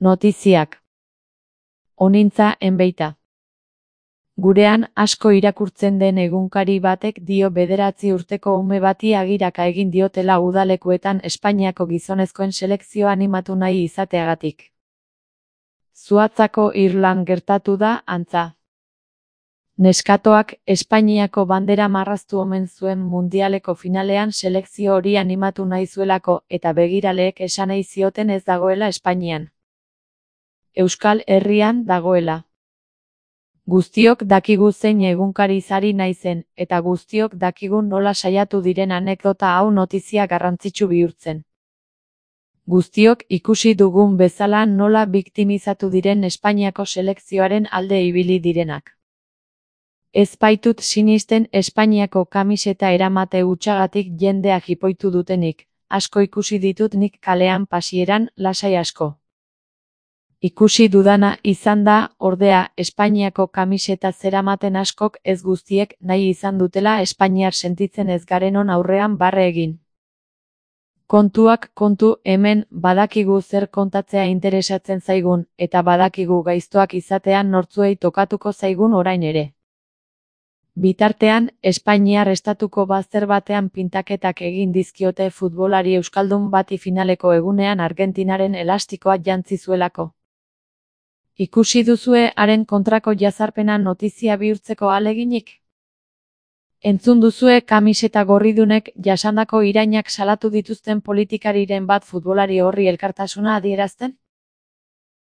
Notiziak. Onintza enbeita. Gurean asko irakurtzen den egunkari batek dio 9 urteko ume bati agiraka egin diotela udalekuetan Espainiako gizonezkoen selekzioa animatu nahi izateagatik. Zuhatzako Irlan gertatu da, antza. Neskatoak Espainiako bandera marraztu omen zuen mundialeko finalean selekzio hori animatu nahi zuelako eta begiraleek esan nahi zioten ez dagoela Espainian. Euskal Herrian dagoela. Guztiok dakigu zein egunkari sari naizen, eta guztiok dakigu nola saiatu diren anekdota hau notizia garrantzitsu bihurtzen. Guztiok ikusi dugun bezala nola biktimizatu diren Espainiako selekzioaren alde ibili direnak. Ez baitut sinisten Espainiako kamiseta eramate hutsagatik jendea jipoitu dutenik, asko ikusi ditut nik kalean pasieran, lasai asko. Ikusi dudana izan da, ordea, Espainiako kamiseta zeramaten askok ez guztiek nahi izan dutela espainiar sentitzen ez garenon aurrean barre egin. Kontuak kontu, hemen badakigu zer kontatzea interesatzen zaigun, eta badakigu gaiztoak izatean nortzuei tokatuko zaigun orain ere. Bitartean, Espainiar estatuko bazter batean pintaketak egin dizkiote futbolari euskaldun bati finaleko egunean Argentinaren elastikoa jantzi zuelako. Ikusi duzue haren kontrako jazarpena notizia bihurtzeko ahaleginik? Entzun duzue kamiseta gorridunek jasandako irainak salatu dituzten politikariren bat futbolari horri elkartasuna adierazten?